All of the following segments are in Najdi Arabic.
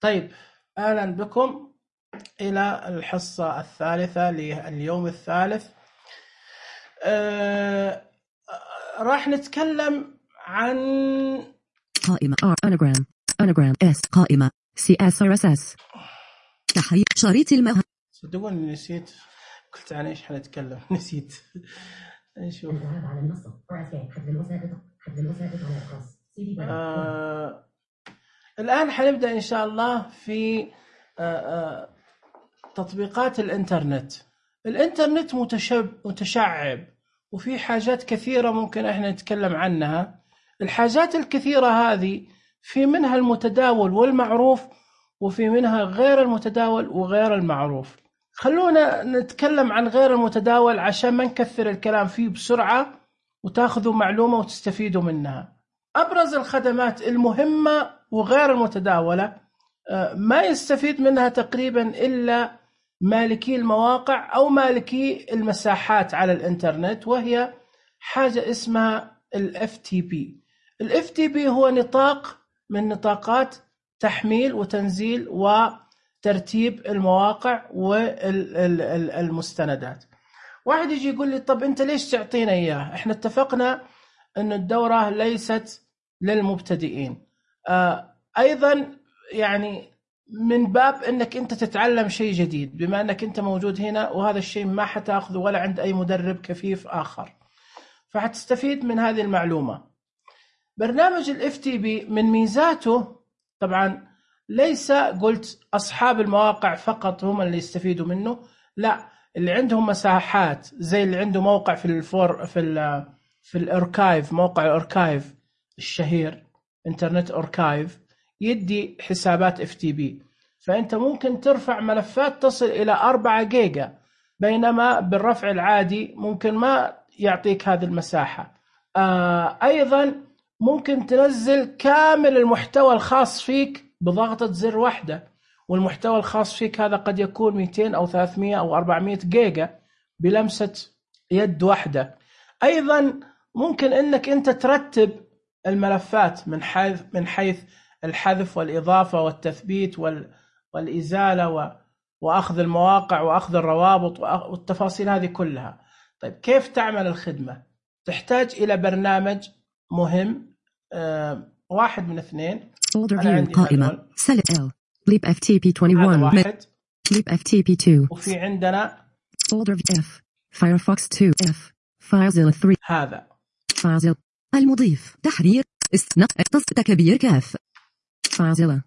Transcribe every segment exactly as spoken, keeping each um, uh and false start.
طيب، أهلا بكم إلى الحصة الثالثة لليوم الثالث. أه راح نتكلم عن قائمة R Anagram Anagram S قائمة C S R S S تحرير شريط المه. صدقوني نسيت قلت عن إيش حنتكلم نسيت. نشوف على المنصة حذف الوسائط حذف الوسائط على الخاص آه الآن حنبدأ إن شاء الله في آه آه تطبيقات الإنترنت. الإنترنت متشب متشعب وفي حاجات كثيرة ممكن إحنا نتكلم عنها. الحاجات الكثيرة هذه في منها المتداول والمعروف وفي منها غير المتداول وغير المعروف. خلونا نتكلم عن غير المتداول عشان ما نكثر الكلام فيه بسرعة وتاخذوا معلومة وتستفيدوا منها. أبرز الخدمات المهمة وغير المتداولة ما يستفيد منها تقريبا إلا مالكي المواقع أو مالكي المساحات على الإنترنت، وهي حاجة اسمها ال إف تي بي. ال إف تي بي هو نطاق من نطاقات تحميل وتنزيل وترتيب المواقع والمستندات. واحد يجي يقول لي طب أنت ليش تعطينا إياه؟ إحنا اتفقنا أن الدورة ليست للمبتدئين. آه أيضا يعني من باب أنك أنت تتعلم شيء جديد، بما أنك أنت موجود هنا وهذا الشيء ما حتأخذه ولا عند أي مدرب كفيف آخر، فحتستفيد من هذه المعلومة. برنامج ال إف تي بي من ميزاته طبعا ليس قلت أصحاب المواقع فقط هم اللي يستفيدوا منه، لا، اللي عندهم مساحات زي اللي عنده موقع في الفور في ال في الاركايف، موقع الاركايف الشهير انترنت اركايف يدي حسابات اف تي بي، فانت ممكن ترفع ملفات تصل الى أربعة جيجا، بينما بالرفع العادي ممكن ما يعطيك هذه المساحة. آه ايضا ممكن تنزل كامل المحتوى الخاص فيك بضغطة زر واحدة، والمحتوى الخاص فيك هذا قد يكون مئتين او ثلاثمئة او أربعمئة جيجا بلمسة يد واحدة. ايضا ممكن انك انت ترتب الملفات من حيث من حيث الحذف والاضافه والتثبيت والازاله واخذ المواقع واخذ الروابط والتفاصيل هذه كلها. طيب كيف تعمل الخدمه؟ تحتاج الى برنامج مهم، آه واحد من اثنين. قائمه Select L Leap إف تي بي واحد واحد Leap إف تي بي اثنين وفي عندنا Folder F Firefox اثنين F فايزل ثلاثة هذا فايزل المضيف تحرير استنق تكبير كاف فايزل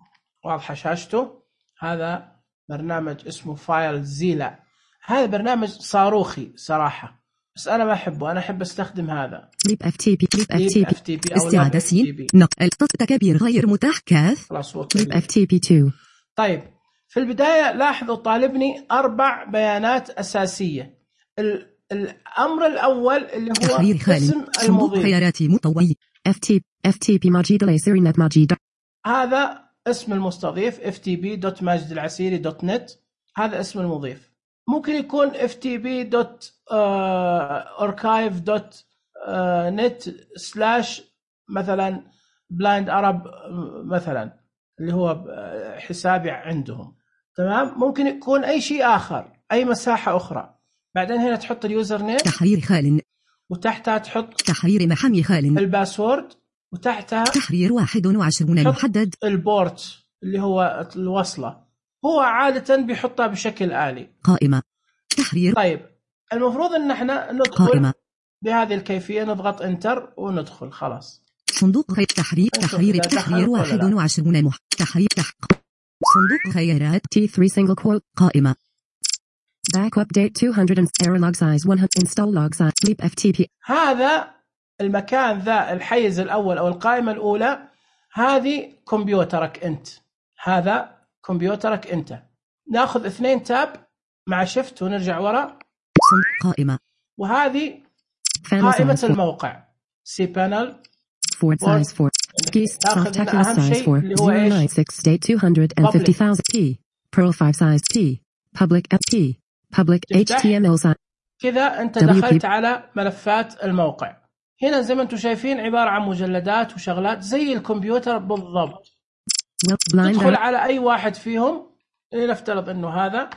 واضحة شاشته. هذا برنامج اسمه فايل زيلا. هذا برنامج صاروخي صراحة، بس أنا ما أحبه، أنا أحب أستخدم هذا ليب اف تي بي ليب اف تي بي استعادة سين نقل تكبير غير متاح كاف ليب اف تي بي اثنين. طيب في البداية لاحظوا طالبني أربع بيانات أساسية. الأمر الأول اللي هو اسم المضيف، خياراتي مطوي اف تي اف تي بي ماجد العسيري نت ماجد، هذا اسم المستضيف اف تي بي دوت ماجد العسيري دوت نت، هذا اسم المضيف. ممكن يكون اف تي بي دوت اركايف دوت نت سلاش مثلا بلايند عرب مثلا، اللي هو حسابي عندهم، تمام. ممكن يكون أي شيء آخر، أي مساحة أخرى. بعدين هنا تحط اليوزر نيم تحرير خال، وتحتها تحط تحرير محمي خال الباسورد، وتحتها تحرير واحد وعشرون محدد البورت اللي هو الوصلة، هو عادة بيحطها بشكل آلي. قائمة تحرير. طيب المفروض ان احنا ندخل قائمة بهذه الكيفية، نضغط انتر وندخل خلاص. صندوق خيار تحرير تحرير تحرير واحد وعشرون مح تحرير تحق صندوق خيارات تي ثلاثة single quote قائمة back update مئتين error log size مئة install log size leap إف تي بي. هذا المكان ذا الحيز الأول أو القائمة الأولى، هذه كمبيوترك أنت، هذا كمبيوترك أنت. ناخذ اثنين تاب مع شفت ونرجع وراء قائمة، وهذه قائمة الموقع سي بانل forward size four keys spectacular size four zero nine six date two hundred fifty thousand p pearl five size p public p public إتش تي إم إل size. كذا أنت دخلت على ملفات الموقع. هنا زي ما أنتم شايفين عبارة عن مجلدات وشغلات زي الكمبيوتر بالضبط. تدخل على أي واحد فيهم، نفترض إنه هذا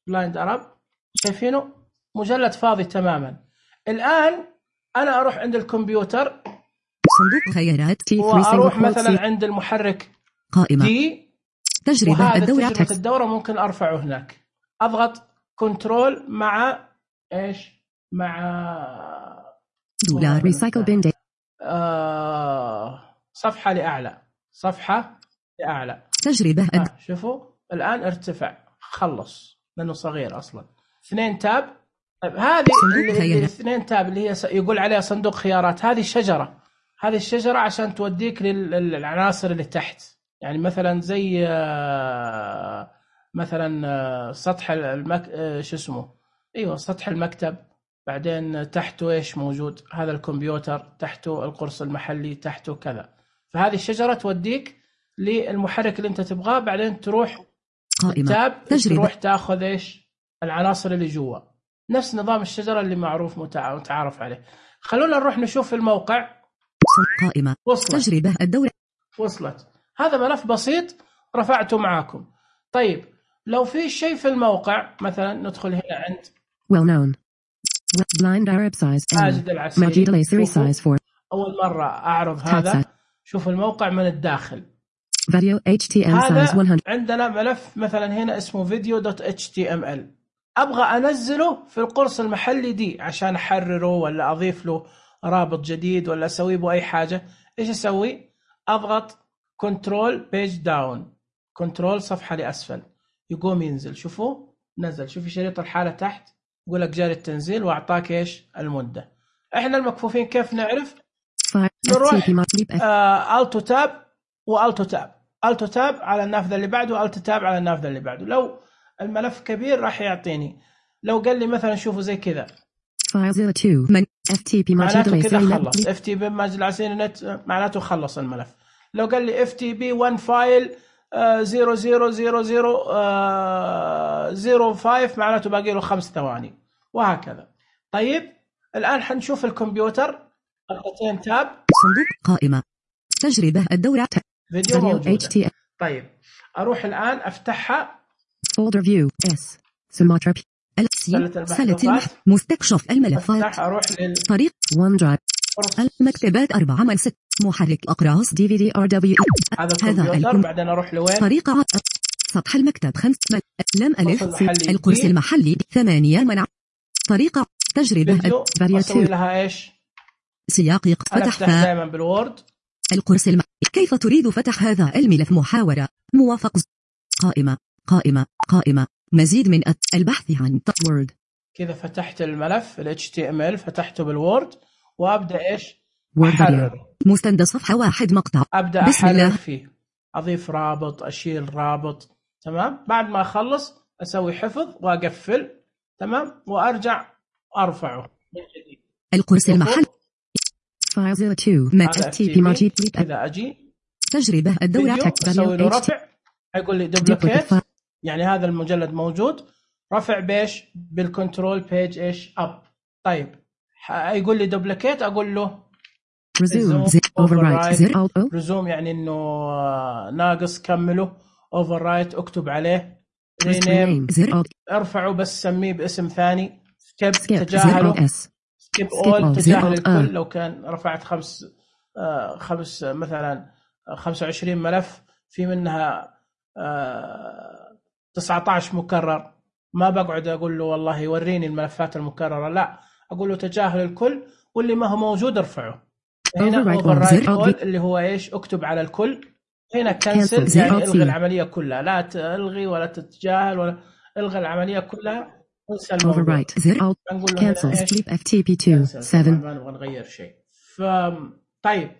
بلايند أرب، شايفينه مجلد فاضي تماما. الآن أنا أروح عند الكمبيوتر، صندوق خيارات تي وأروح مثلا عند المحرك قائمة دي، تجربة الدورة تجربة الدورة ممكن أرفعه هناك. أضغط كنترول مع إيش، مع دولار ريسايكل بين دي. آه صفحة لأعلى، صفحة لأعلى تجربة آه شوفوا الآن ارتفع، خلص لأنه صغير أصلا. اثنين تاب. طيب هذه الاثنين تاب اللي هي يقول عليها صندوق خيارات، هذه شجرة، هذه الشجرة عشان توديك للعناصر اللي تحت. يعني مثلا زي مثلا سطح المك... شو اسمه ايوه سطح المكتب، بعدين تحته ايش موجود، هذا الكمبيوتر، تحته القرص المحلي، تحته كذا. فهذه الشجرة توديك للمحرك اللي انت تبغاه، بعدين تروح قائمة تاب تروح تاخذ ايش العناصر اللي جوا، نفس نظام الشجرة اللي معروف متعارف عليه. خلونا نروح نشوف الموقع. قائمة وصلت. تجربة الدورة وصلت. هذا ملف بسيط رفعته معاكم. طيب لو في شيء في الموقع، مثلا ندخل هنا عند well known blind Arab size ماجد العسيري، ماجد العسيري size four. أول مرة أعرض هذا. شوف الموقع من الداخل، فيديو إتش تي إم size one hundred. عندنا ملف مثلا هنا اسمه فيديو دوت إتش تي إم إل، أبغى أنزله في القرص المحلي دي عشان أحرره ولا أضيف له رابط جديد ولا أسوي به أي حاجة. إيش أسوي؟ أضغط كنترول بيج داون، كنترول صفحة لأسفل، يقوم ينزل. شوفوا نزل، شوفي شريط الحالة تحت يقول لك جاري التنزيل، وأعطاك إيش المدة. إحنا المكفوفين كيف نعرف؟ نروح آه ألتو تاب وألتو تاب، ألتو تاب على النافذة اللي بعده، وألتو تاب على النافذة اللي بعده. لو الملف كبير راح يعطيني، لو قال لي مثلا شوفوا زي كذا من اف تي بي معناته كذا خلص، اف تي بي ماجد العسيري نت معناته خلص الملف. لو قال لي اف تي بي واحد فايل زيرو زيرو زيرو زيرو زيرو خمسة معناته باقي له خمس ثواني، وهكذا. طيب الآن حنشوف الكمبيوتر، ضغطتين تاب، صندوق قائمة تجربة الدورة فيديو موجودة. طيب أروح الآن أفتحها، folder view اس سماترا سلة البحث، مستكشف الملفات، أروح طريق ون درايف، المكتبات أربعة من ست، محرك أقراص دي في دي ار دبليو. هذا الكمبيوتر. بعدين أروح لوين؟ طريقة سطح المكتب خمس لم ألف القرص المحلي ثمانية منع. طريقة تجربة أسوي لها إيش؟ سياق فتح دائما بالوورد القرص المحلي. كيف تريد فتح هذا الملف؟ محاورة موافق. قائمة قائمة قائمة مزيد من البحث عن وورد. كذا فتحت الملف ال إتش تي إم إل، فتحته بالوورد، وأبدأ إيش؟ أحرر مستند صفحة واحد مقطع، أبدأ أحرر فيه، أضيف رابط، أشيل رابط. تمام. بعد ما أخلص أسوي حفظ وأقفل. تمام. وأرجع أرفعه من جديد. القرص المحل فايل زيرو تو ماك تي بي ماجيك. إذا أجي تجربة الدورة أسوي له رفع، هيقول لي دوبليكيت، يعني هذا المجلد موجود، رفع بيش بالكنترول بيج إيش أب. طيب يقول لي دوبليكيت، أقول له ريزوم اوفررايت. ريزوم يعني إنه ناقص، كمله. اوفررايت اكتب عليه. رينيم ارفعه بس سميه باسم ثاني. سكيب تجاهله. سكيب اول تجاهل الكل. لو كان رفعت خمس آه خمس مثلا خمسة وعشرين ملف، في منها آه تسعة عشر مكرر، ما بقعد اقول له والله يوريني الملفات المكررة، لا، اقول له تجاهل الكل، واللي ما هو موجود ارفعه. هنا اوفررايت اول اللي هو ايش؟ اكتب على الكل. هنا كنسل يعني الغي العمليه كلها، لا تلغي ولا تتجاهل ولا الغي العمليه كلها. انسى الموضوع. نقول له كنسل اف تي بي اثنين سبعة، ما نبغى نغير شيء. ف طيب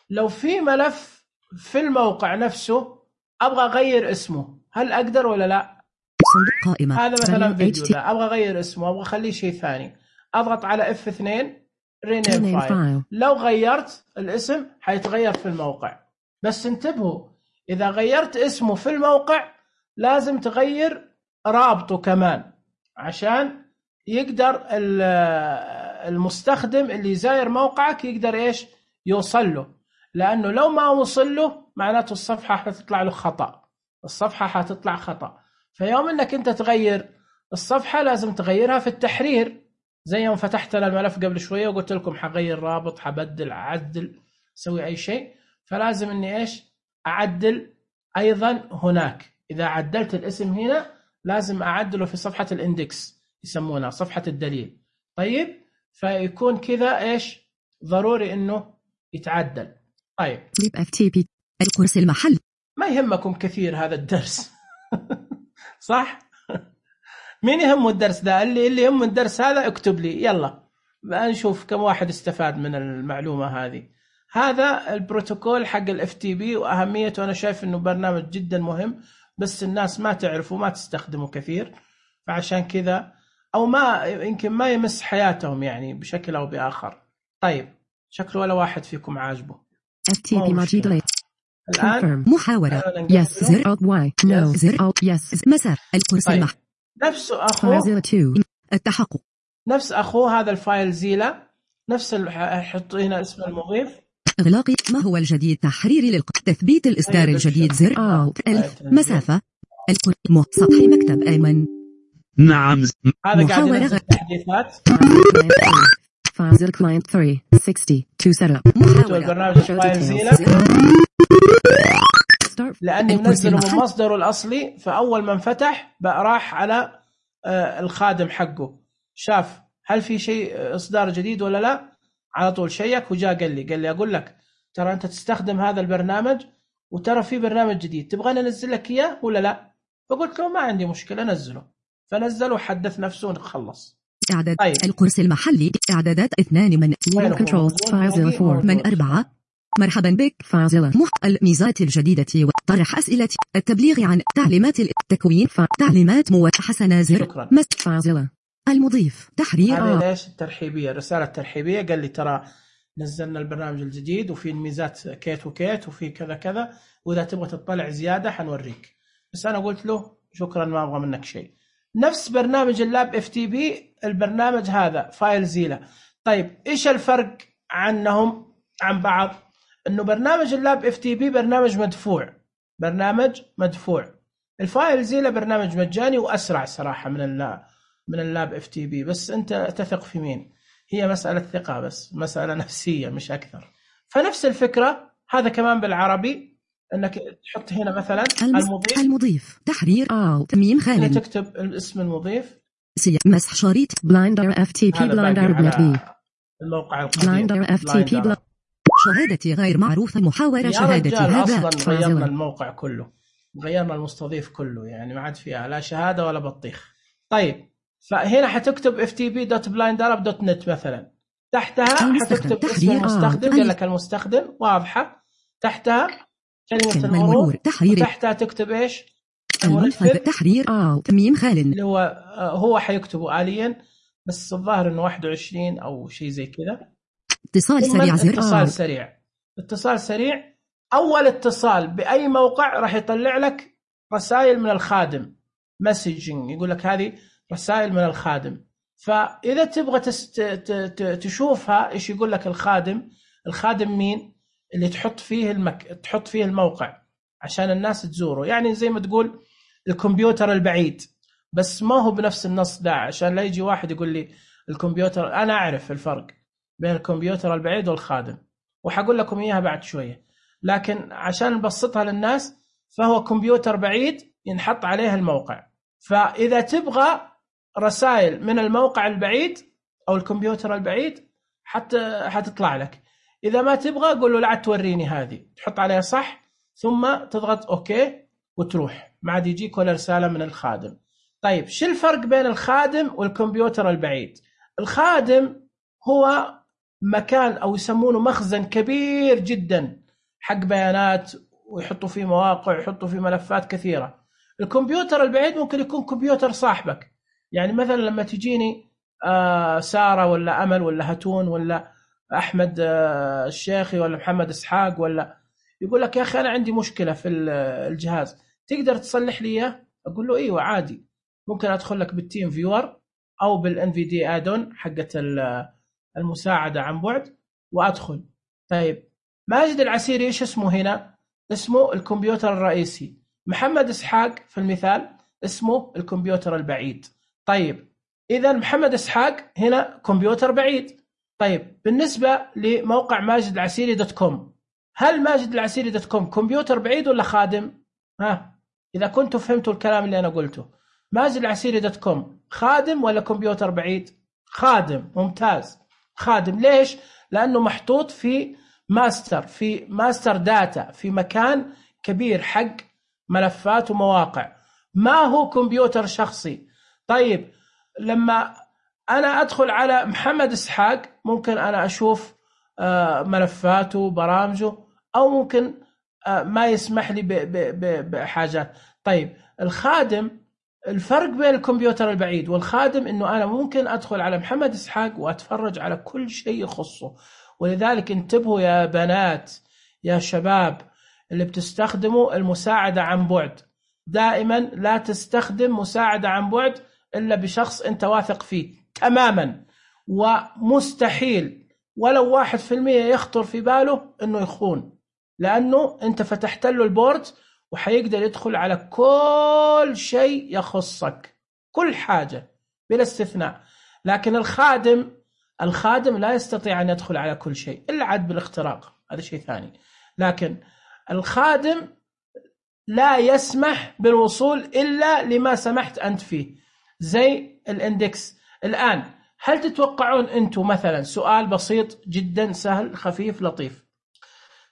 لو في ملف في الموقع نفسه ابغى اغير اسمه، هل اقدر ولا لا؟ صندوق قائمه. هذا مثلا فيديو، لا ابغى اغير اسمه، ابغى اخليه شيء ثاني، اضغط على اف اثنين رينيم فايل. لو غيرت الاسم حيتغير في الموقع، بس انتبهوا إذا غيرت اسمه في الموقع لازم تغير رابطه كمان، عشان يقدر المستخدم اللي زاير موقعك يقدر إيش يوصل له. لأنه لو ما وصل له معناته الصفحة حتطلع له خطأ، الصفحة حتطلع خطأ. فيوم أنك أنت تغير الصفحة لازم تغيرها في التحرير، زي يوم فتحت لنا الملف قبل شوية وقلت لكم حغير رابط، حبدل، أعدل، سوي أي شيء، فلازم أني إيش أعدل أيضا هناك. إذا عدلت الاسم هنا لازم أعدله في صفحة الاندكس، يسمونها صفحة الدليل. طيب فيكون كذا إيش ضروري إنه يتعدل. طيب اف تي بي القرص المحل ما يهمكم كثير هذا الدرس صح؟ مين يهمه الدرس ده؟ اللي اللي يهمه الدرس هذا اكتب لي يلا بقى نشوف كم واحد استفاد من المعلومة هذه. هذا البروتوكول حق الاف تي بي وأهميته، أنا شايف إنه برنامج جدا مهم، بس الناس ما تعرفه وما تستخدمه كثير، فعشان كذا أو ما يمكن ما يمس حياتهم يعني بشكل أو بآخر. طيب شكله ولا واحد فيكم عاجبه. اف تي بي ماجيد ليت الآن محاورة يس زر أوت واي نو زر أوت يس مسار القرص طيب. المحل نفسه أخوه التحقق نفس أخوه هذا الفايل زيلا، نفس حط هنا اسم المضيف. إغلاق ما هو الجديد تحريري للق تثبيت الإصدار الجديد زر أوت ألف مسافة القرص سطح مكتب أيمن. نعم هذا قاعد ينزل التحديثات. فايل كلاينت ثلاثمية وستين تو سيت محاولة البرنامج فايل زيلا لأني منزله من مصدره الأصلي، فأول ما انفتح بقى راح على الخادم حقه، شاف هل في شيء إصدار جديد ولا لا، على طول شيك وجاء قال لي قال لي أقول لك ترى أنت تستخدم هذا البرنامج وترى في برنامج جديد، تبغاني أنزل لك إياه ولا لا؟ فقلت له ما عندي مشكلة نزله، فنزله وحدث نفسه ونخلص. إعداد طيب. القرص المحلي إعدادات اثنان من كنترول فايل أربعة من أربعة. مرحبا بك فازلة مح الميزات الجديدة وطرح أسئلة التبليغ عن تعليمات التكوين تعليمات مو حسنا زر مست فازلة المضيف تحرير هذه ليش الترحيبية رسالة ترحيبية قال لي ترى نزلنا البرنامج الجديد وفي الميزات كيت وكيت وفي كذا كذا، وإذا تبغى تطلع زيادة حنوريك، بس أنا قلت له شكرا ما أبغى منك شيء. نفس برنامج اللاب اف تي بي البرنامج هذا فايل زيلا. طيب إيش الفرق عنهم عن بعض؟ إنه برنامج اللاب اف تي بي برنامج مدفوع، برنامج مدفوع. الفايل زيلا برنامج مجاني وأسرع صراحة من اللاب من اللاب اف تي بي، بس أنت تثق في مين، هي مسألة ثقة بس، مسألة نفسية مش أكثر. فنفس الفكرة هذا كمان بالعربي، انك تحط هنا مثلا المضيف المضيف تحرير او تميم خالد، تكتب اسم المضيف سي مسح شريط بلايندر اف تي بي بلايندر بي الموقع القديم بلايندر اف تي بي بلا... شهادتي غير معروفة محاورة شهادتي هذا اصلا غيرنا الموقع كله، غيرنا المستضيف كله، يعني ما عاد فيها لا شهادة ولا بطيخ. طيب فهنا حتكتب اف تي بي دوت بلايندر دوت نت مثلا، تحتها حتكتب اسم المستخدم، قال لك المستخدم واضحة، تحتها كلمة المرور، تحتها تكتب إيش؟ المنفذ تحرير أو تميم خالد اللي هو هو حيكتبه آليا، بس الظاهر إنه واحد وعشرين أو شيء زي كذا. اتصال سريع زر اتصال سريع اتصال سريع أول اتصال بأي موقع راح يطلع لك رسائل من الخادم، مسجنج يقول لك هذه رسائل من الخادم. فإذا تبغى تست... تشوفها إيش يقول لك الخادم، الخادم مين اللي تحط فيه المك... تحط فيه الموقع عشان الناس تزوره، يعني زي ما تقول الكمبيوتر البعيد، بس ما هو بنفس النص ده عشان لا يجي واحد يقول لي الكمبيوتر، أنا أعرف الفرق بين الكمبيوتر البعيد والخادم وحقول لكم إياها بعد شوية، لكن عشان نبسطها للناس فهو كمبيوتر بعيد ينحط عليه الموقع. فإذا تبغى رسائل من الموقع البعيد أو الكمبيوتر البعيد حتى حتطلع لك، إذا ما تبغى قول له لا توريني هذه، تحط عليها صح ثم تضغط أوكي وتروح، ما عاد يجيك ولا رسالة من الخادم. طيب شو الفرق بين الخادم والكمبيوتر البعيد؟ الخادم هو مكان أو يسمونه مخزن كبير جدا حق بيانات، ويحطوا فيه مواقع ويحطوا فيه ملفات كثيرة. الكمبيوتر البعيد ممكن يكون كمبيوتر صاحبك، يعني مثلا لما تجيني آه سارة ولا أمل ولا هتون ولا أحمد آه الشيخي ولا محمد إسحاق، ولا يقول لك يا أخي أنا عندي مشكلة في الجهاز تقدر تصلح لي إياه؟ أقول له إيوه عادي، ممكن أدخل لك بالتيم فيور أو بالإن في دي آدون حقة المساعدة عن بعد وأدخل. طيب ماجد العسيري إيش اسمه هنا؟ اسمه الكمبيوتر الرئيسي. محمد إسحاق في المثال اسمه الكمبيوتر البعيد. طيب إذا محمد إسحاق هنا كمبيوتر بعيد. طيب بالنسبة لموقع ماجد العسيري دوت كوم، هل ماجد العسيري دوت كوم كمبيوتر بعيد ولا خادم؟ ها إذا كنتوا فهمتوا الكلام اللي أنا قلته، ماجد العسيري دوت كوم خادم ولا كمبيوتر بعيد؟ خادم. ممتاز، خادم. ليش؟ لأنه محطوط في ماستر، في ماستر داتا، في مكان كبير حق ملفات ومواقع، ما هو كمبيوتر شخصي. طيب لما أنا أدخل على محمد إسحاق ممكن أنا أشوف ملفاته برامجه، أو ممكن ما يسمح لي بحاجات. طيب الخادم، الفرق بين الكمبيوتر البعيد والخادم إنه أنا ممكن أدخل على محمد إسحاق وأتفرج على كل شيء يخصه. ولذلك انتبهوا يا بنات يا شباب اللي بتستخدموا المساعدة عن بعد، دائما لا تستخدم مساعدة عن بعد إلا بشخص أنت واثق فيه تماما، ومستحيل ولو واحد في المية يخطر في باله أنه يخون، لأنه أنت فتحت له البورد وحيقدر يدخل على كل شيء يخصك، كل حاجة بلا استثناء. لكن الخادم الخادم لا يستطيع أن يدخل على كل شيء إلا عاد بالاختراق، هذا شيء ثاني. لكن الخادم لا يسمح بالوصول إلا لما سمحت أنت فيه، زي الاندكس. الآن هل تتوقعون أنتم مثلا، سؤال بسيط جدا سهل خفيف لطيف،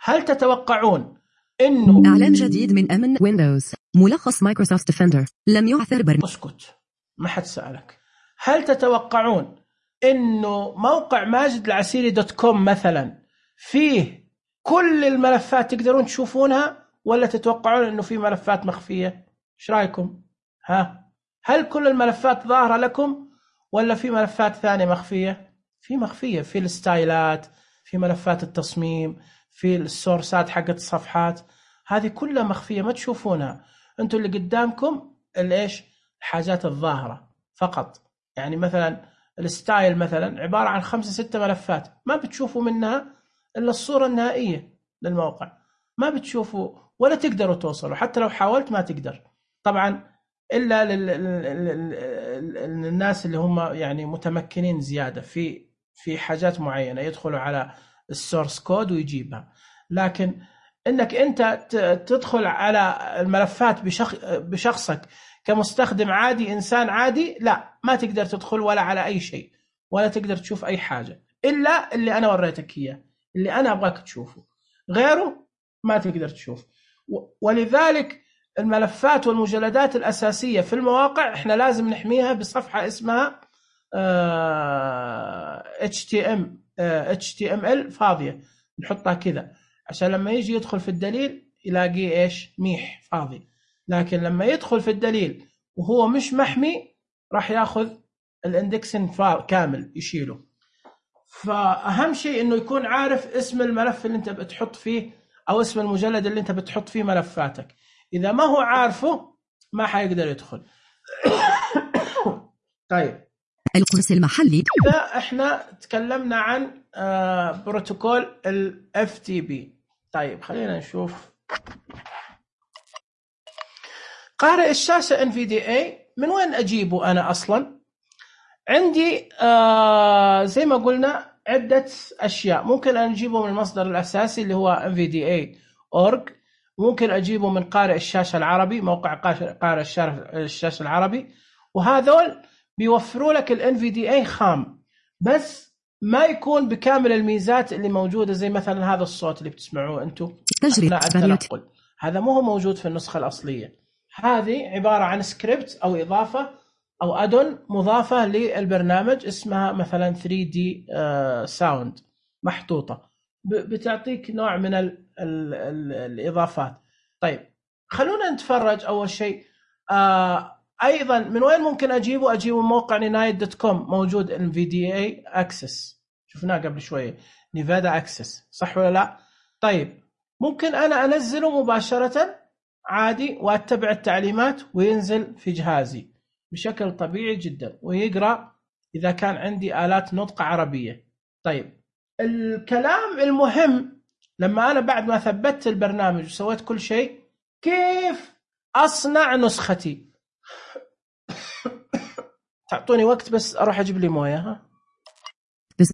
هل تتوقعون إنه إعلان جديد من أمن ويندوز، ملخص مايكروسوفت ديفندر لم يعثر برنامج؟ اسكت، ما حد سألك. هل تتوقعون إنه موقع ماجد العسيري دوت كوم مثلا فيه كل الملفات تقدرون تشوفونها، ولا تتوقعون إنه في ملفات مخفية؟ إيش رأيكم؟ ها، هل كل الملفات ظاهرة لكم ولا في ملفات ثانية مخفية؟ في مخفية، في الستايلات، في ملفات التصميم، في السورسات حقت الصفحات، هذه كلها مخفية ما تشوفونها. أنتوا اللي قدامكم الإيش؟ الحاجات الظاهرة فقط. يعني مثلا الستايل مثلا عبارة عن خمسة ستة ملفات ما بتشوفوا منها إلا الصورة النهائية للموقع، ما بتشوفوا ولا تقدروا توصلوا، حتى لو حاولت ما تقدر طبعا، إلا للناس اللي هم يعني متمكنين زيادة في في حاجات معينة يدخلوا على السورس كود ويجيبها. لكن إنك أنت تدخل على الملفات بشخصك كمستخدم عادي، إنسان عادي، لا، ما تقدر تدخل ولا على أي شيء، ولا تقدر تشوف أي حاجة إلا اللي أنا وريتك إياه، اللي أنا أبغاك تشوفه، غيره ما تقدر تشوف. ولذلك الملفات والمجلدات الأساسية في المواقع إحنا لازم نحميها بصفحة اسمها إتش تي إم إل فاضية، نحطها كذا عشان لما يجي يدخل في الدليل يلاقيه إيش؟ ميح فاضي. لكن لما يدخل في الدليل وهو مش محمي راح ياخذ الاندكسن كامل يشيله. فأهم شيء إنه يكون عارف اسم الملف اللي أنت بتحط فيه أو اسم المجلد اللي أنت بتحط فيه ملفاتك. إذا ما هو عارفه ما حيقدر يدخل. طيب القرص المحلي، إذا إحنا تكلمنا عن آه بروتوكول ال إف تي بي. طيب خلينا نشوف قارئ الشاشة إن في دي إيه من وين أجيبه أنا أصلا؟ عندي آه زي ما قلنا عدة أشياء، ممكن أن أجيبه من المصدر الأساسي اللي هو إن في دي إيه دوت أورج، ممكن أجيبه من قارئ الشاشة العربي، موقع قارئ الشاشة العربي، وهذول بيوفروا لك ال إن في دي إيه خام، بس ما يكون بكامل الميزات اللي موجودة، زي مثلا هذا الصوت اللي بتسمعوه أنتم أثناء التنقل، هذا مو موجود في النسخة الأصلية. هذه عبارة عن سكريبت أو إضافة أو أدون مضافة للبرنامج اسمها مثلا ثري دي ساوند محطوطة، بتعطيك نوع من ال ال ال الإضافات. طيب خلونا نتفرج أول شيء. آه أيضا من وين ممكن أجيبه؟ أجيبه من موقع نينايت دوت كوم، موجود إن في دي إيه Access، شفناه قبل شوية، نيفادا Access، صح ولا لا؟ طيب ممكن أنا أنزله مباشرة عادي وأتبع التعليمات وينزل في جهازي بشكل طبيعي جدا ويقرأ إذا كان عندي آلات نطق عربية. طيب الكلام المهم لما أنا بعد ما ثبتت البرنامج وسويت كل شيء كيف أصنع نسختي؟ تعطوني وقت بس أروح أجيب لي موية. ها بس.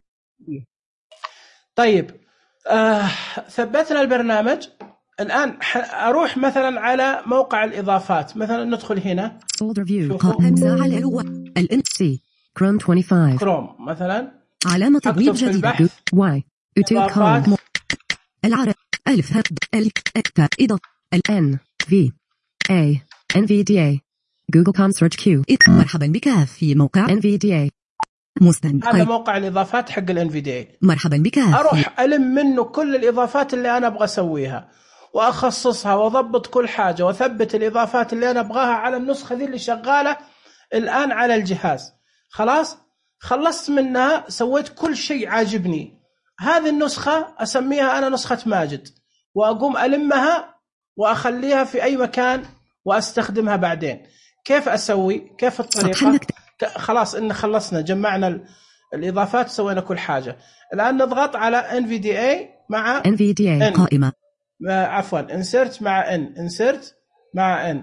طيب آه، ثبتنا البرنامج. الآن أروح مثلا على موقع الإضافات، مثلا ندخل هنا folder view همزة على الو ال سي كروم خمسة وعشرين كروم مثلا، علامة تبويب جديدة واي إضافات العرب ألف هب ألف أكتا إضافة الان في اي ان في دي اي جوجل كوم سيرش كيو. مرحبا بك في موقع ان في دي اي مستند. هذا موقع الإضافات حق ال إن في دي إيه. مرحبا بك. أروح ألم منه كل الإضافات اللي أنا أبغى أسويها وأخصصها وأضبط كل حاجة وأثبت الإضافات اللي أنا أبغاها على النسخة ذي اللي شغالة الآن على الجهاز. خلاص خلصت منها، سويت كل شيء عاجبني. هذه النسخة أسميها أنا نسخة ماجد، وأقوم ألمها وأخليها في أي مكان وأستخدمها بعدين. كيف أسوي؟ كيف الطريقة؟ خلاص إن خلصنا جمعنا الإضافات سوينا كل حاجة. الآن نضغط على إن في دي إيه مع إن في دي إيه قائمة، عفوا insert مع N insert مع N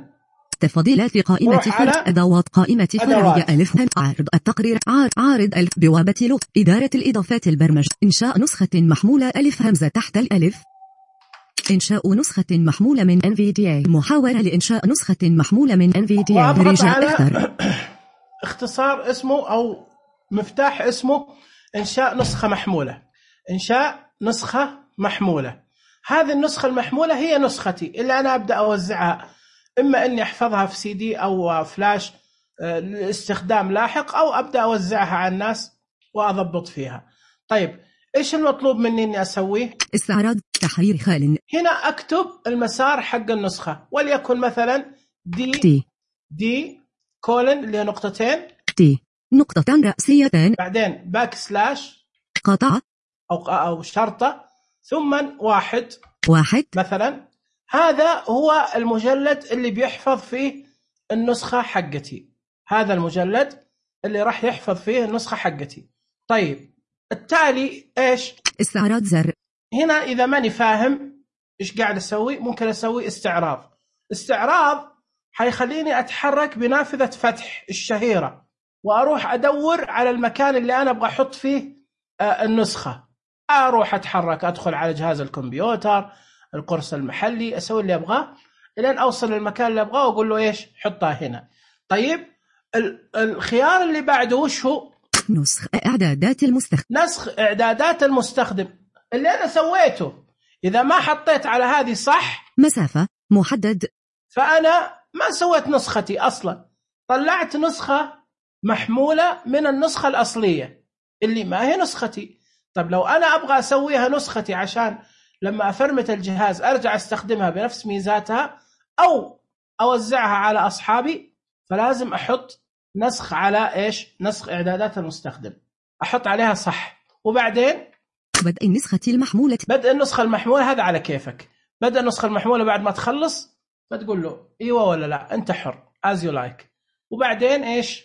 تفضيلات في قائمة فرع أدوات قائمة فرعية ألف عارض التقرير عارض, عارض ألف بوابة لغة إدارة الإضافات البرمج إنشاء نسخة محمولة ألف همزة تحت الألف إنشاء نسخة محمولة من إن في دي إيه محاولة لإنشاء نسخة محمولة من إن في دي إيه رجاء أكثر. اختصار اسمه أو مفتاح اسمه إنشاء نسخة محمولة. إنشاء نسخة محمولة. هذه النسخة المحمولة هي نسختي اللي أنا أبدأ أوزعها، إما أني أحفظها في سي دي أو فلاش لاستخدام لاحق، أو أبدأ أوزعها على الناس وأضبط فيها. طيب إيش المطلوب مني أني أسويه؟ استعراض تحرير خال. هنا أكتب المسار حق النسخة، وليكن مثلا دي دي, دي كولن اللي هي نقطتين دي نقطتان رأسيتان بعدين باك سلاش قطع أو أو شرطة ثم واحد واحد مثلا. هذا هو المجلد اللي بيحفظ فيه النسخة حقتي، هذا المجلد اللي راح يحفظ فيه النسخة حقتي. طيب التالي إيش؟ استعراض زر. هنا إذا ماني فاهم إيش قاعد أسوي ممكن أسوي استعراض. استعراض حيخليني أتحرك بنافذة فتح الشهيرة وأروح أدور على المكان اللي أنا أبغى أحط فيه النسخة. أروح أتحرك أدخل على جهاز الكمبيوتر القرص المحلي أسوي اللي أبغاه لين أوصل للمكان اللي أبغاه وأقول له إيش حطها هنا. طيب الخيار اللي بعده وش هو؟ نسخ إعدادات المستخدم. نسخ إعدادات المستخدم اللي أنا سويته. إذا ما حطيت على هذه صح مسافة محدد فأنا ما سويت نسختي أصلا، طلعت نسخة محمولة من النسخة الأصلية اللي ما هي نسختي. طب لو أنا أبغى أسويها نسختي عشان لما أفرمت الجهاز أرجع أستخدمها بنفس ميزاتها أو أوزعها على أصحابي، فلازم أحط نسخ على إيش؟ نسخ إعدادات المستخدم، أحط عليها صح. وبعدين بدء النسخة المحمولة. بدء النسخة المحمولة هذا على كيفك. بدء النسخة المحمولة بعد ما تخلص بتقول له إيوه ولا لا، أنت حر as you like. وبعدين إيش؟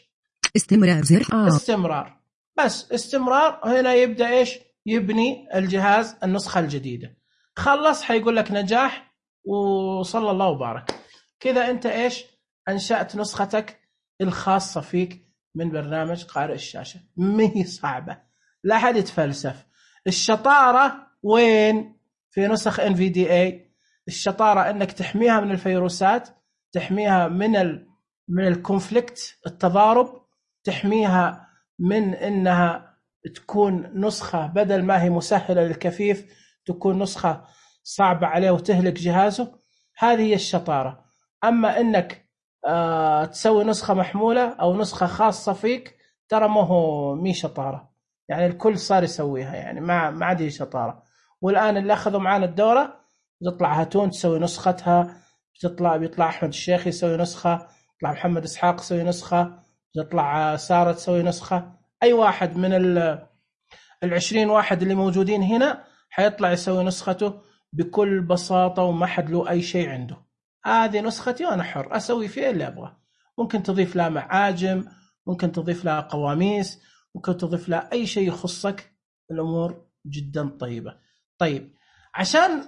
استمرار زر. آه. استمرار. بس استمرار. هنا يبدأ إيش؟ يبني الجهاز النسخة الجديدة. خلص حيقول لك نجاح وصلى الله وبارك. كذا أنت إيش؟ أنشأت نسختك الخاصة فيك من برنامج قارئ الشاشة. مهي صعبة، لا حد يتفلسف. الشطارة وين؟ في نسخ إن في دي إيه. الشطارة أنك تحميها من الفيروسات، تحميها من ال من الكونفليكت التضارب، تحميها من أنها تكون نسخة بدل ما هي مسهلة للكفيف تكون نسخة صعبة عليه وتهلك جهازه. هذه هي الشطارة. أما أنك آه تسوي نسخة محمولة أو نسخة خاصة فيك ترى ما هو مي شطارة، يعني الكل صار يسويها، يعني ما ما عاد هي شطارة. والآن اللي أخذوا معانا الدورة تطلع هاتون تسوي نسختها، بتطلع بيطلع أحمد الشيخ يسوي نسخة، يطلع محمد إسحاق يسوي نسخة، تطلع سارة تسوي نسخة. أي واحد من العشرين واحد اللي موجودين هنا حيطلع يسوي نسخته بكل بساطة وما حد له أي شيء عنده. هذه نسختي وأنا حر أسوي فيها اللي أبغى. ممكن تضيف لها معاجم، ممكن تضيف لها قواميس، ممكن تضيف لها أي شيء يخصك. الأمور جدا طيبة. طيب عشان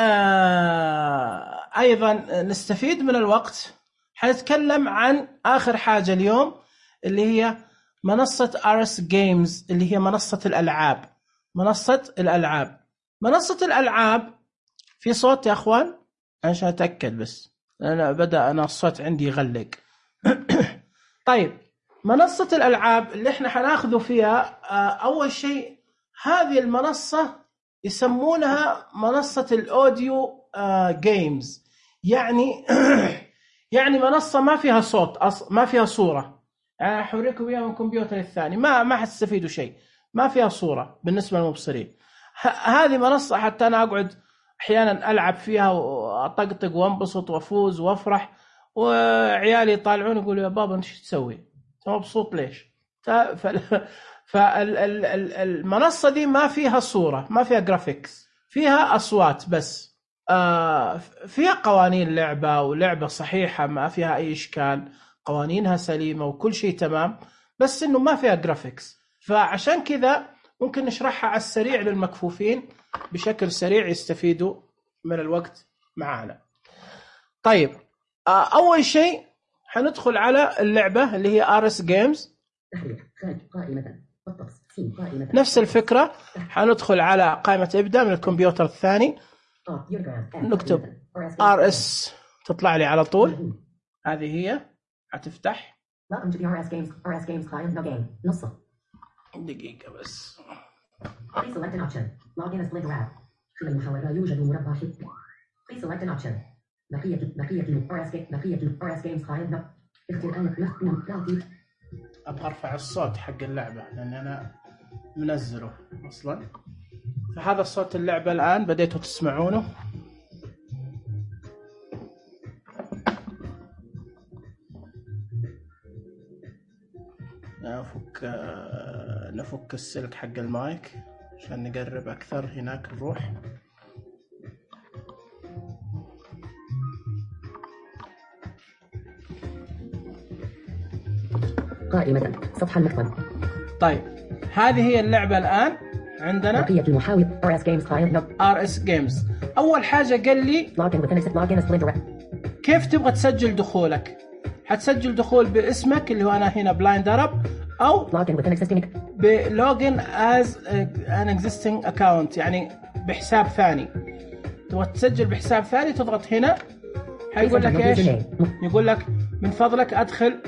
آه أيضا نستفيد من الوقت حنتكلم عن آخر حاجة اليوم اللي هي منصة آر إس Games اللي هي منصة الألعاب. منصة الألعاب منصة الألعاب في صوت يا أخوان عشان أتأكد بس أنا بدأ أنا الصوت عندي يغلق. طيب منصة الألعاب اللي احنا حناخذه فيها آه أول شيء هذه المنصة يسمونها منصة الأوديو آه جيمز، يعني يعني منصة ما فيها صوت أص... ما فيها صورة. يعني أحوريكم إياها من الكمبيوتر الثاني ما ما حتستفيدوا شيء، ما فيها صورة بالنسبة للمبصرين. ه... هذه منصة حتى أنا أقعد أحيانا ألعب فيها وأطقطق وانبسط وأفوز وأفرح، وعيالي يطالعون يقولوا يا بابا أنت شو تسوي؟ أنت مبسوط ليش؟ فالمنصة دي ما فيها صورة، ما فيها جرافيكس، فيها أصوات بس. آه فيها قوانين لعبة ولعبة صحيحة ما فيها أي إشكال، قوانينها سليمة وكل شيء تمام، بس إنه ما فيها جرافيكس. فعشان كذا ممكن نشرحها على السريع للمكفوفين بشكل سريع يستفيدوا من الوقت معانا. طيب آه أول شيء حندخل على اللعبة اللي هي آر إس Games. نفس الفكرة حندخل على قائمة ابدأ من الكمبيوتر الثاني، نكتب آر إس تطلع لي على طول. هذه هي هتفتح. دقيقة بس. في المحاولة يوجد مربع حب. Please select an option. بقية بقية آر إس بقية آر إس Games client. اختر أن نعطي. أبغى أرفع الصوت حق اللعبة لأن أنا منزله أصلاً. فهذا صوت اللعبة الآن بديتوا تسمعونه. نفك نفك السلك حق المايك عشان نقرب أكثر. هناك نروح. قائمة سطح المكتب. طيب هذه هي اللعبة الآن عندنا. بقية المحاول آر إس Games client. آر إس Games. أول حاجة قال لي login with an login as Splinter. كيف تبغى تسجل دخولك؟ حتسجل دخول باسمك اللي هو أنا هنا بلايند أرب، أو login with an existing بلوجن as an existing account يعني بحساب ثاني. تبغى تسجل بحساب ثاني تضغط هنا حيقول لك إيش؟ يقول لك من فضلك أدخل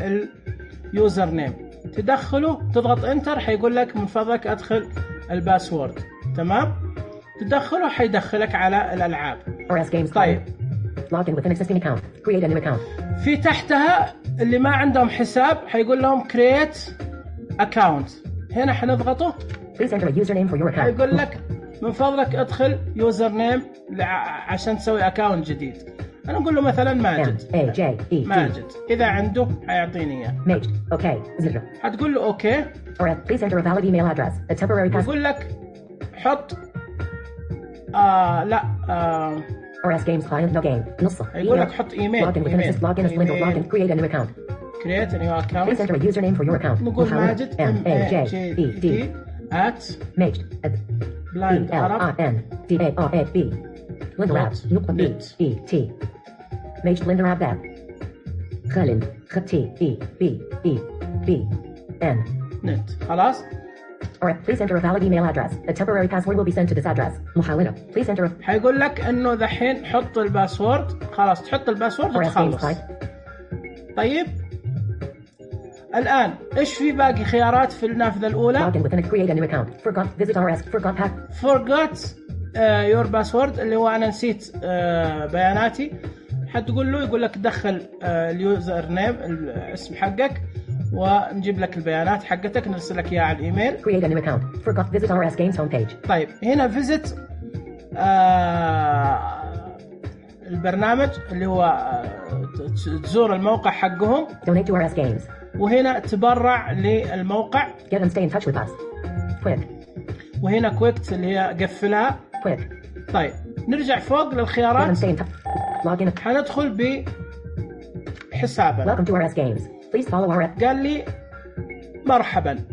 اليوزر نيم، تدخله تضغط انتر حيقول لك من فضلك أدخل الباسورد. تمام؟ تدخله حيدخلك على الألعاب. آر إس Games. طيب login with an existing account. create a new account. في تحتها اللي ما عندهم حساب حيقول لهم create account. هنا حنضغطه. Please enter a username for your account. حيقول لك من فضلك ادخل يوزر نيم عشان تسوي اكاونت جديد. انا اقول له مثلا ماجد. A J E ماجد. اذا عنده حيعطيني اياه. ماجد. اوكي. زر. حتقول له اوكي. Please enter a valid email address. A temporary password. يقول لك حط آه لا آه آر إس Games client no game. نص. يقول لك حط ايميل. login with an login as Splinter. login. create a new account. create a new account. Please enter a username for your account. نقول ماجد M A J E D at ماجد blind L I N D A R A B Blinderab نقطة B E T ماجد Blinderab that خالد خط T E B E B N net. خلاص. Alright, please enter a valid email address. A temporary password will be sent to this address. محاولة. Please enter a... حيقول لك انه دحين حط الباسورد. خلاص تحط الباسورد وتخلص. طيب الآن إيش في باقي خيارات في النافذة الأولى؟ Login with an create a new account. Forgot visit آر إس. Forgot pack. Forgot uh, your password اللي هو أنا نسيت uh, بياناتي. حتقول له يقول لك دخل uh, اليوزر نيم الاسم حقك ونجيب لك البيانات حقتك نرسل لك إياها على الإيميل. Create a new account. Forgot visit آر إس Games homepage. طيب هنا visit uh, البرنامج اللي هو uh, تزور الموقع حقهم. Donate to آر إس Games. وهنا تبرع للموقع. Get and stay in touch with us. Quick. وهنا كويكت اللي هي قفلها. Quick. طيب نرجع فوق للخيارات. Get and stay in touch. Login. حندخل بحسابنا. Welcome to آر إس Games. Please follow آر إس. قال لي مرحبا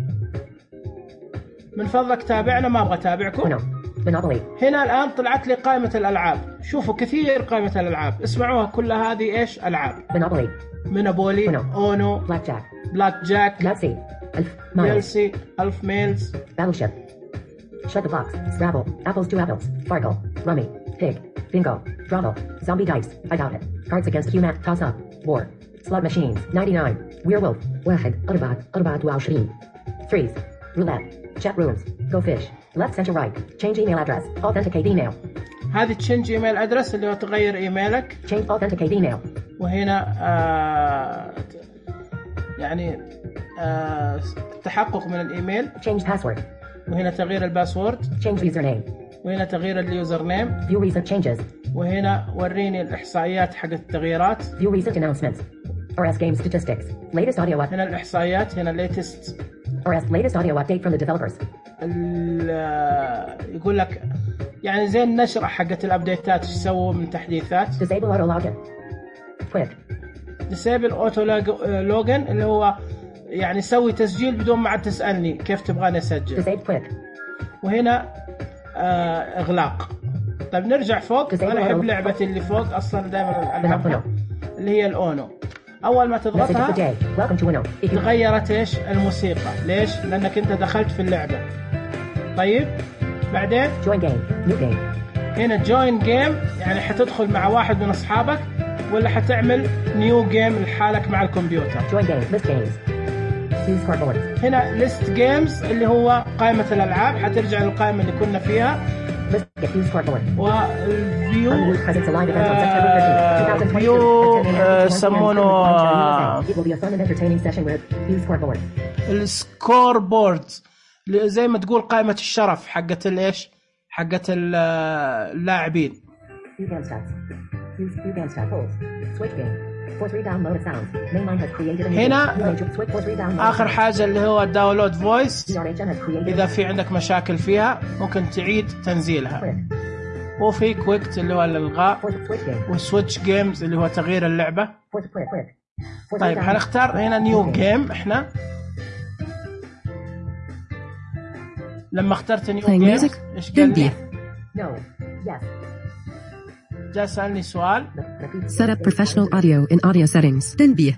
من فضلك تابعنا ما ابغى اتابعكم. No. Monopoly. هنا الآن طلعت لي قائمة الألعاب. شوفوا كثير قائمة الألعاب، اسمعوها كلها، هذه إيش ألعاب؟ Monopoly. مونوبولي، Uno. أونو، Blackjack. بلاك جاك، Yahtzee. Elf. Miles. يلسي، ألف ميلز، Battleship. Shut the box. Scrabble. Apples to apples. Farkle. Rummy. Pig. Bingo. Drabble. Zombie dice. I doubt it. Cards against human. Toss up. War. Slot machines. ninety-nine. Werewolf. واحد. أربعة. أربعة وعشرين. Threes. Roulette. Chat rooms. Go fish. Left center right. Change email address. Authenticate email. هذه تشنج ايميل ادرس اللي هو تغير ايميلك. Change authenticate email. وهنا آه يعني آه التحقق من الايميل. Change password. وهنا تغيير الباسورد. Change username. وهنا تغيير اليوزر نيم. View recent changes. وهنا وريني الاحصائيات حق التغييرات. View recent announcements. R S game statistics. Latest audio up. هنا الاحصائيات، هنا latest. R S latest audio update from the developers. يقول لك يعني زي النشرة حقت الابديتات ايش سووا من تحديثات. Disable auto login. Quick. disable auto login اللي هو يعني سوي تسجيل بدون ما عاد تسألني كيف تبغاني اسجل. Disable quick. وهنا آه اغلاق. طيب نرجع فوق. انا احب لعبتي اللي فوق اصلا دائما العبها اللي هي الاونو. اول ما تضغطها تغيرت ايش الموسيقى. ليش؟ لانك انت دخلت في اللعبة. طيب بعدين join game. New game. هنا join game يعني حتدخل مع واحد من اصحابك ولا حتعمل new game لحالك مع الكمبيوتر. join game. List games. Use cardboard. هنا list games اللي هو قائمة الالعاب، حترجع للقائمة اللي كنا فيها. List use cardboard. والفيو Unused presents a live event on September thirteenth, twenty فيو twenty-two. يسمونه It will be a fun and entertaining session with use cardboard. السكور بورد زي ما تقول قائمة الشرف حقت الايش حقت اللاعبين. View game stats. Use view game stats. Polls. Switch game. For three download of sounds. Mainline has created a new هنا game. Switch for three download. آخر حاجة اللي هو داونلود فويس. D R H M has created. إذا في عندك مشاكل فيها ممكن تعيد تنزيلها. Quick. وفي كويكت اللي هو الإلغاء. For switch game. وسويتش جيمز اللي هو تغيير اللعبة. For quick quick. For طيب three download. حنختار هنا نيو جيم. إحنا لما اخترت نيو Playing جيم music. إيش قال لي؟ No. Yes. جاء سألني سؤال. Set up professional audio in audio settings. تنبيه.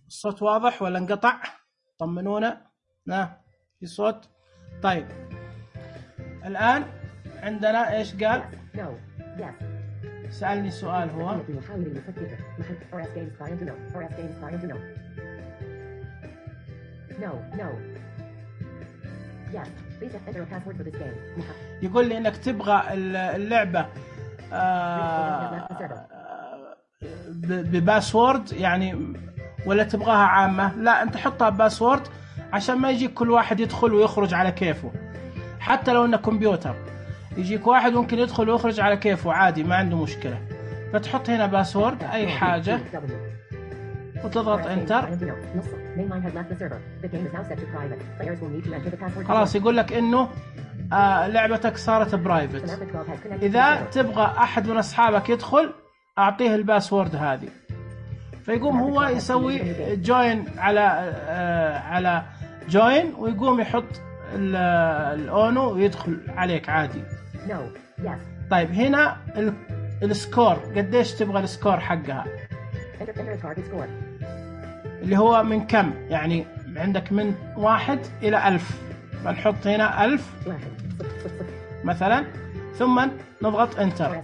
الصوت واضح ولا انقطع؟ طمنونا. ها في صوت. طيب الآن عندنا إيش قال؟ No. Yes. سألني سؤال هو. No, no. Yes, please enter a password for this game. يقول لي إنك تبغى اللعبة آه بباسورد يعني ولا تبغاها عامة؟ لا أنت حطها بباسورد عشان ما يجيك كل واحد يدخل ويخرج على كيفه. حتى لو إنه كمبيوتر يجيك واحد ممكن يدخل ويخرج على كيفه عادي ما عنده مشكلة. فتحط هنا باسورد أي حاجة وتضغط انتر. خلاص يقول لك انه آه لعبتك صارت برايفت. اذا تبغى احد من اصحابك يدخل اعطيه الباسورد هذه فيقوم هو يسوي جوين على آه على جوين ويقوم يحط الاونو ويدخل عليك عادي. طيب هنا السكور قديش تبغى السكور حقها اللي هو من كم يعني عندك من واحد إلى ألف. فنحط هنا ألف مثلا ثم نضغط انتر.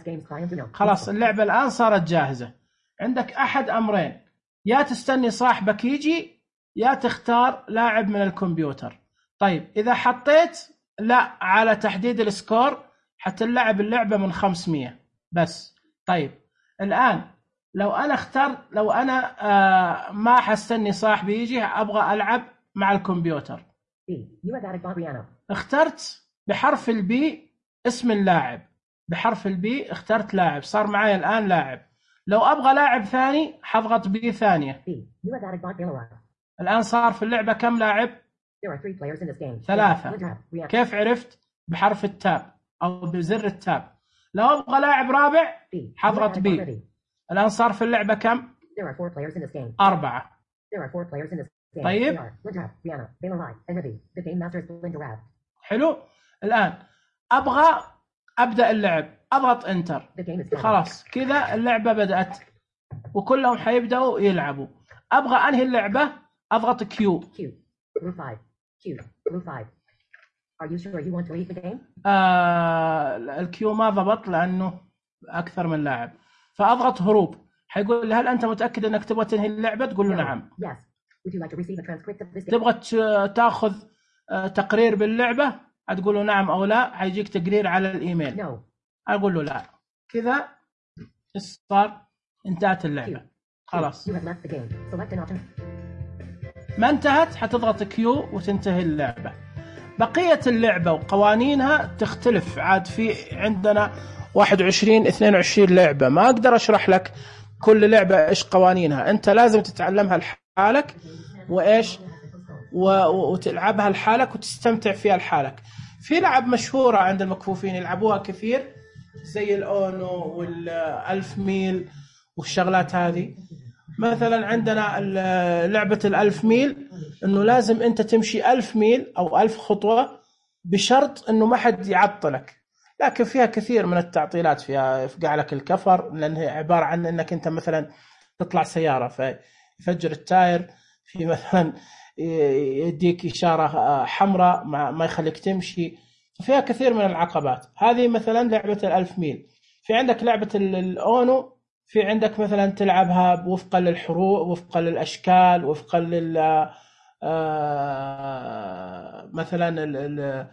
خلاص اللعبة الآن صارت جاهزة. عندك أحد أمرين، يا تستني صاحبك يجي يا تختار لاعب من الكمبيوتر. طيب إذا حطيت لا على تحديد السكور حتلعب اللعبة من خمسمية بس. طيب الآن لو أنا اخترت لو أنا آه ما حستني صاحبي يجي أبغى ألعب مع الكمبيوتر اخترت بحرف البي اسم اللاعب. بحرف البي اخترت لاعب صار معي الآن لاعب. لو أبغى لاعب ثاني حضغط بي ثانية. الآن صار في اللعبة كم لاعب؟ ثلاثة. كيف عرفت؟ بحرف التاب أو بزر التاب. لو أبغى لاعب رابع حضغط بي. الآن صار في اللعبة كم؟ أربعة. There are four players in this game. طيب. They are Linda, Diana, Baylor Lai, and Nibby. The game master is Linda Rab. حلو. الآن أبغى أبدأ اللعب، أضغط انتر. The game is started. خلاص كذا اللعبة بدأت وكلهم حيبدأوا يلعبوا. أبغى أنهي اللعبة، أضغط كيو. Q. Blue five. Q. Blue five. Are you sure you want to leave the game? آه الكيو ما ضبط لأنه أكثر من لاعب، فأضغط هروب. حيقول لي هل أنت متأكد أنك تبغى تنهي اللعبة؟ تقول له No. نعم. Yes. Would you like to receive a transcript of this game? تبغى ت- تاخذ آه، تقرير باللعبة؟ هتقول له نعم أو لا. حيجيك تقرير على الإيميل. No. أقول له لا. كذا صار انتهت اللعبة. خلاص. You have left the game. Select an option. ما انتهت حتضغط كيو وتنتهي اللعبة. بقية اللعبة وقوانينها تختلف عاد. في عندنا واحد وعشرين اثنين وعشرين لعبة، ما أقدر أشرح لك كل لعبة إيش قوانينها. أنت لازم تتعلمها لحالك وإيش و- وتلعبها لحالك وتستمتع فيها لحالك. في لعب مشهورة عند المكفوفين يلعبوها كثير زي الأونو والألف ميل والشغلات هذه. مثلا عندنا ال- لعبة الألف ميل إنه لازم أنت تمشي ألف ميل أو ألف خطوة بشرط إنه ما حد يعطلك، لكن فيها كثير من التعطيلات. فيها يفقع لك الكفر لأنها عبارة عن إنك أنت مثلا تطلع سيارة فيفجر التاير، في مثلا يديك إشارة حمراء ما ما يخليك تمشي. فيها كثير من العقبات. هذه مثلا لعبة الألف ميل. في عندك لعبة ال- الأونو، في عندك مثلا تلعبها وفقا للحروف، وفقا للأشكال، وفقا لل آه، مثلا ال- ال-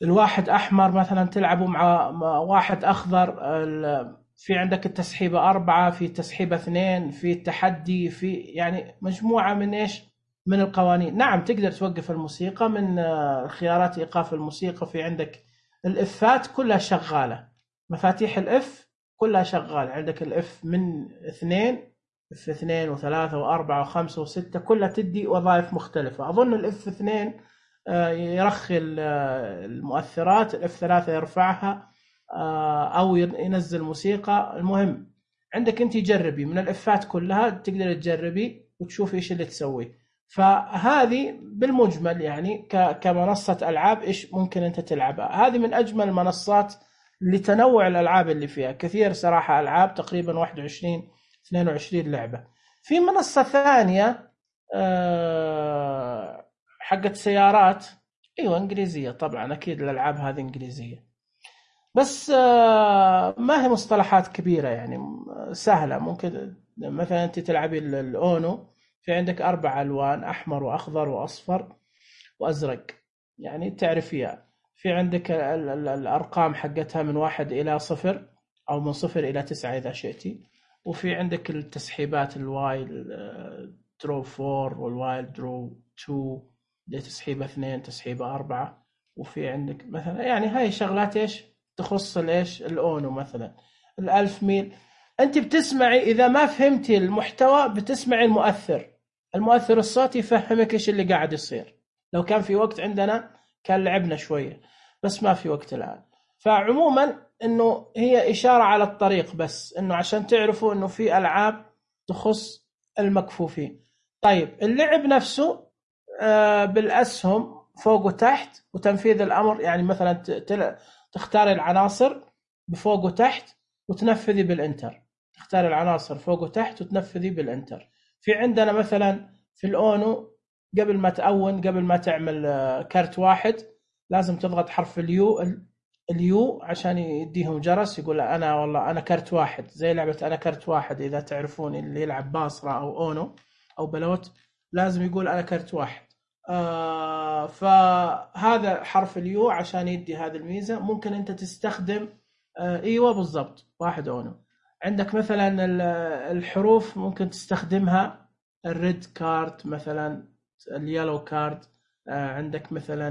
الواحد أحمر مثلا تلعبه مع مع واحد أخضر. ال- في عندك التسحيبة أربعة، في تسحيبة اثنين، في التحدي، في يعني مجموعة من إيش من القوانين. نعم تقدر توقف الموسيقى من آه، خيارات إيقاف الموسيقى. في عندك الإفات كلها شغالة، مفاتيح الإف كلها شغالة. عندك الإف من اثنين، إف اثنين وثلاثة وأربعة وخمسة وستة كلها تدي وظائف مختلفة. أظن الإف اثنين آه، يرخي ال- آه، المؤثرات، الإف ثلاثة يرفعها آه، أو ين- ينزل موسيقى. المهم عندك أنت جربي من الإفات كلها، تقدر تجربي وتشوفي إيش اللي تسوي. فهذه بالمجمل يعني ك- كمنصة ألعاب إيش ممكن أنت تلعبها. هذه من أجمل المنصات لتنوع الألعاب اللي فيها كثير صراحة. ألعاب تقريبا واحد وعشرين اثنين وعشرين لعبة. في منصة ثانية آه، حقت سيارات، أيوة إنجليزية طبعا، أكيد الألعاب هذه إنجليزية، بس آه، ما هي مصطلحات كبيرة يعني سهلة. ممكن مثلا أنت تلعبي ال- الأونو، في عندك أربع ألوان، أحمر وأخضر وأصفر وأزرق، يعني تعرفيها. في عندك ال- ال- الأرقام حقتها من واحد إلى صفر أو من صفر إلى تسعة إذا شئتي. وفي عندك التسحيبات الوايل درو فور والوايل درو تو، دي تسحيبة اثنين، تسحيبة أربعة. وفي عندك مثلا يعني هاي شغلات إيش تخص الإيش الأونو. مثلا الألف ميل أنت بتسمعي، إذا ما فهمتي المحتوى بتسمعي المؤثر، المؤثر الصوتي يفهمك إيش اللي قاعد يصير. لو كان في وقت عندنا كان لعبنا شوية، بس ما في وقت الآن. فعموما إنه هي إشارة على الطريق، بس إنه عشان تعرفوا إنه في ألعاب تخص المكفوفين. طيب اللعب نفسه آه، بالأسهم فوق وتحت وتنفيذ الأمر. يعني مثلا ت- تل- تختار العناصر بفوق وتحت وتنفذي بالإنتر. تختار العناصر فوق وتحت وتنفذي بالإنتر. في عندنا مثلا في الأونو قبل ما تأون، قبل ما تعمل آه، كارت واحد لازم تضغط حرف اليو ال- اليو عشان يديهم جرس يقول أنا والله أنا كارت واحد، زي لعبة أنا كارت واحد. إذا تعرفون اللي يلعب باصرة أو أونو أو بلوت لازم يقول أنا كارت واحد. آه فهذا حرف اليو عشان يدي هذه الميزة. ممكن أنت تستخدم آه إيوه بالضبط واحد أونو. عندك مثلا ال- الحروف ممكن تستخدمها الريد كارد مثلا، اليلو كارد. آه عندك مثلا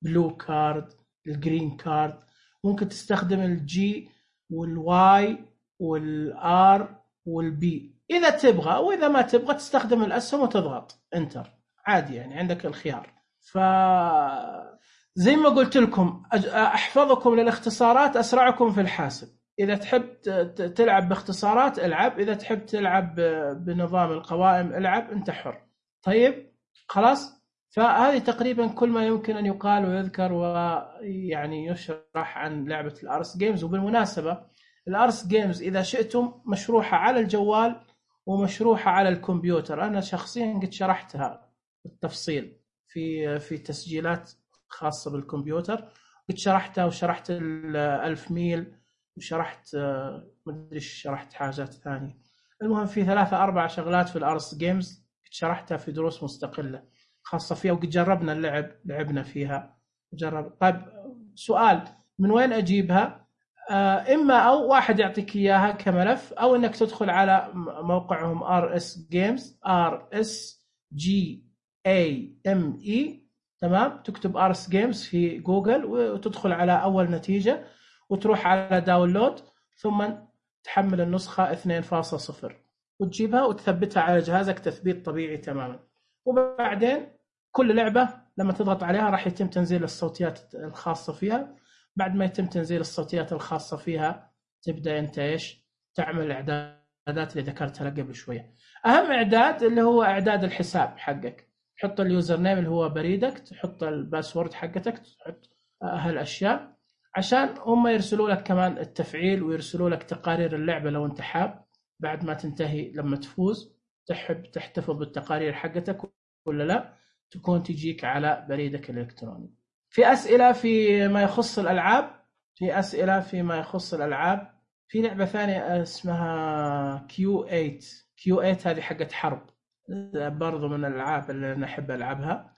البلو كارد، الجرين كارد. ممكن تستخدم الجي والواي والار والبي إذا تبغى، وإذا ما تبغى تستخدم الأسهم وتضغط انتر عادي، يعني عندك الخيار. ف زي ما قلت لكم أج- أحفظكم للاختصارات أسرعكم في الحاسب. إذا تحب تلعب باختصارات العب، إذا تحب تلعب بنظام القوائم العب، أنت حر. طيب خلاص، فهذه تقريبا كل ما يمكن أن يقال ويذكر ويعني يشرح عن لعبة الأرس جيمز. وبالمناسبة الأرس جيمز إذا شئتم مشروحة على الجوال ومشروحة على الكمبيوتر. أنا شخصيا قد شرحتها بالتفصيل في في تسجيلات خاصة بالكمبيوتر، قد شرحتها وشرحت الألف ميل وشرحت مدري شرحت حاجات ثانية. المهم في ثلاثة أربع شغلات في الأرس جيمز شرحتها في دروس مستقلة خاصة فيها، وقد جربنا اللعب لعبنا فيها جرب. طيب سؤال، من وين أجيبها؟ إما أو واحد يعطيك إياها كملف، أو إنك تدخل على موقعهم آر إس Games آر إس جي إيه إم إي، تمام، تكتب آرس جيمز في جوجل وتدخل على أول نتيجة وتروح على داونلود، ثم تحمل النسخة اثنين فاصلة صفر وتجيبها وتثبتها على جهازك تثبيت طبيعي تماما. وبعدين كل لعبة لما تضغط عليها راح يتم تنزيل الصوتيات الخاصة فيها. بعد ما يتم تنزيل الصوتيات الخاصة فيها تبدأ أنت إيش تعمل الإعدادات اللي ذكرتها لك قبل شوية. أهم إعداد اللي هو إعداد الحساب حقك، تحط اليوزر نيم اللي هو بريدك، تحط الباسورد حقتك، تحط هالأشياء عشان هم يرسلوا لك كمان التفعيل ويرسلوا لك تقارير اللعبة لو أنت حاب بعد ما تنتهي لما تفوز تحب تحتفظ بالتقارير حقتك ولا لا، تكون تجيك على بريدك الإلكتروني. في أسئلة في ما يخص الألعاب، في أسئلة فيما يخص الألعاب. في لعبة ثانية اسمها كيو ثمانية. كيو ثمانية هذه حقت حرب برضو من الألعاب اللي أنا أحب ألعبها.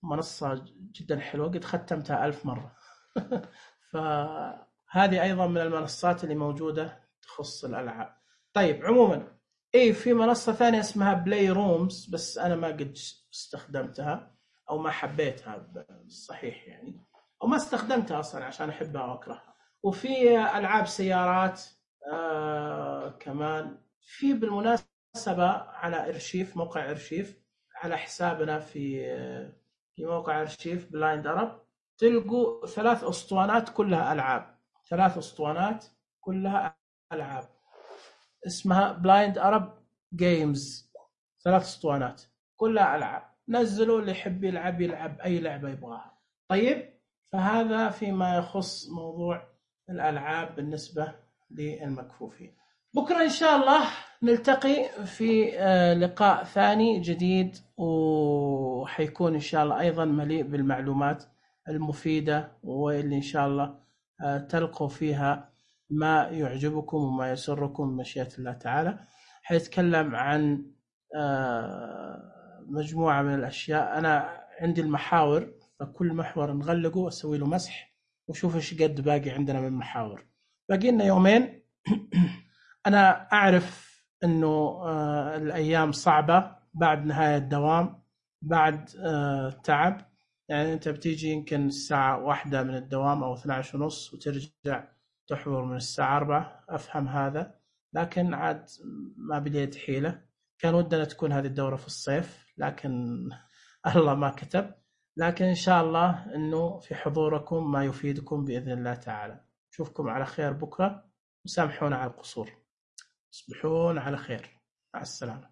منصة جدا حلوة قد ختمتها ألف مرة. فهذه أيضا من المنصات اللي موجودة تخص الألعاب. طيب عموما إيه في منصة ثانية اسمها بلاي رومز، بس أنا ما قد استخدمتها أو ما حبيتها بالصحيح يعني، أو ما استخدمتها أصلا عشان أحبها وأكرهها. وفي ألعاب سيارات آه كمان. في بالمناسبة على إرشيف، موقع إرشيف على حسابنا في في موقع إرشيف بلايند أرب تلقوا ثلاث أسطوانات كلها ألعاب، ثلاث أسطوانات كلها ألعاب اسمها بلايند أرب جيمز، ثلاث أسطوانات كلها ألعاب. نزلوا اللي يحب يلعب يلعب أي لعبة يبغاها. طيب فهذا فيما يخص موضوع الألعاب بالنسبة للمكفوفين. بكرة إن شاء الله نلتقي في لقاء ثاني جديد، وحيكون إن شاء الله أيضا مليء بالمعلومات المفيدة واللي إن شاء الله تلقوا فيها ما يعجبكم وما يسركم مشيئة الله تعالى. حيتكلم عن مجموعة من الأشياء. أنا عندي المحاور، فكل محور نغلقه وأسوي له مسح وشوف إيش قد باقي عندنا من محاور. باقي لنا يومين. أنا أعرف إنه الأيام صعبة بعد نهاية الدوام، بعد تعب، يعني أنت بتيجي يمكن الساعة واحدة من الدوام أو اثني عشر ونص وترجع تحضر من الساعة أربعة. أفهم هذا، لكن عاد ما بليت حيلة. كان ودنا تكون هذه الدورة في الصيف لكن الله ما كتب. لكن إن شاء الله أنه في حضوركم ما يفيدكم بإذن الله تعالى. نشوفكم على خير بكرة، وسامحونا على القصور. تصبحون على خير، مع السلامة.